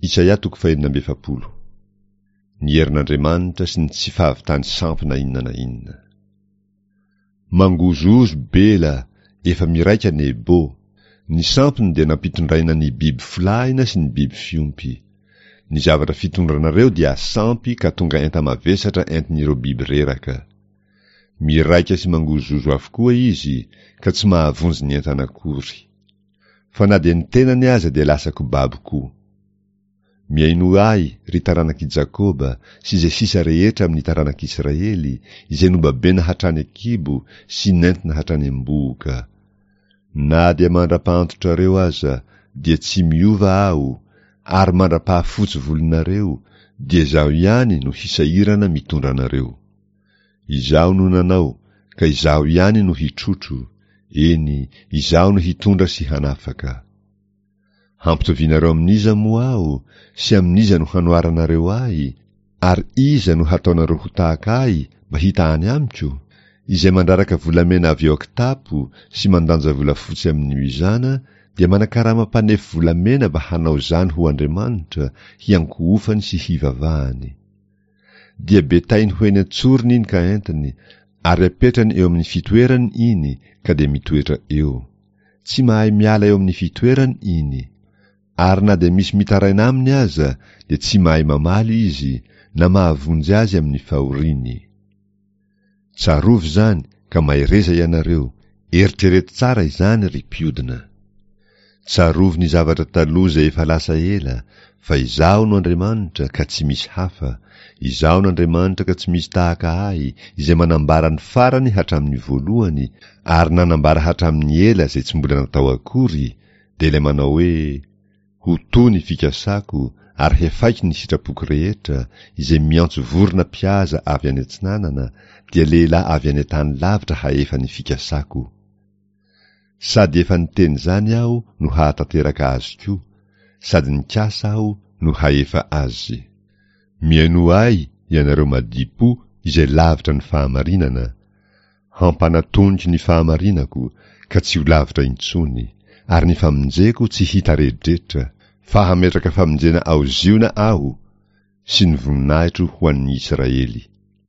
Isaia toko fahenina amby efapolo. Ny herin'Andriamanitra sy ny tsy fahavitany sampy na inona na inona. Mangozohozo Bela, efa miraika Nebo. Ny sampiny dia nampitondraina ny biby folahina sy ny biby fiompy. Ny zavatra fitondranareo dia sampy ka tonga enta-mavesatra entin'ireo biby reraka. Miraika sy mangozohozo avokoa izy ka tsy mahavonjy ny entana akory. Fa na dia ny tenany aza dia lasa kobabo koa. Mihainoa ahy, ry taranak'i Jakoba, sy izay sisa rehetra amin'ny taranak'Israely, izay nobabena hatrany an-kibo sy nentina hatrany am-bohoka. Na dia mandra-pahantotrareo aza, dia tsy miova Aho, ary mandra-pahafotsy volonareo, dia Izaho ihany no hisahirana mitondra anareo. Izaho no nanao, ka Izaho ihany no hitrotro, eny, Izaho no hitondra sy hanafaka. Hampitovianareo amin'iza moa Aho, sy amin'iza no hanoharanareo Ahy, ary iza no hataonareo ho tahaka Ahy mba hitahany amiko? Izay mandraraka volamena avy ao an-kitapo sy mandanja volafotsy amin'ny mizana dia manakarama mpanefy volamena mba hanao izany ho andriamanitra, hiankohofany sy hivavahany. Dia betainy ho eny an-tsorony iny ka entiny, ary apetrany eo amin'ny fitoerany iny ka dia mitoetra eo. Tsy mahay miala eo amin'ny fitoerany iny. Ary na dia misy mitaraina aminy aza dia tsy mahay mamaly izy, na mahavonjy azy amin'ny fahoriany. Tsarovy izany ka mahereza ianareo, eritrereto tsara izany ry mpiodina. Tsarovy ny zavatra taloha izay efa lasa ela, fa Izaho no Andriamanitra ka tsy misy hafa, Izaho no Andriamanitra ka tsy misy tahaka Ahy, izay manambara ny farany hatramin'ny voalohany, ary nanambara hatramin'ny ela izay tsy mbola natao akory, dia ilay manao hoe, Ho to ny fikasako ary hefaiko ny sitrapoko rehetra, izay miantso vorona mpihaza avy any atsinanana, dia lehilahy avy any an-tany lavitra hahefa ny fikasako. Sady efa niteny izany aho no hahatanteraka azy koa, sady nikasa aho no hahefa azy. Mihainoa ahy ianareo madipo izay lavitra ny fahamarinana, hampanatoniko ny fahamarinako ka tsy ho lavitra intsony, ary ny famonjeko tsy hitaredretra, fa hametraka famonjena ao Ziona aho sy ny voninahitro ho an'ny Israely.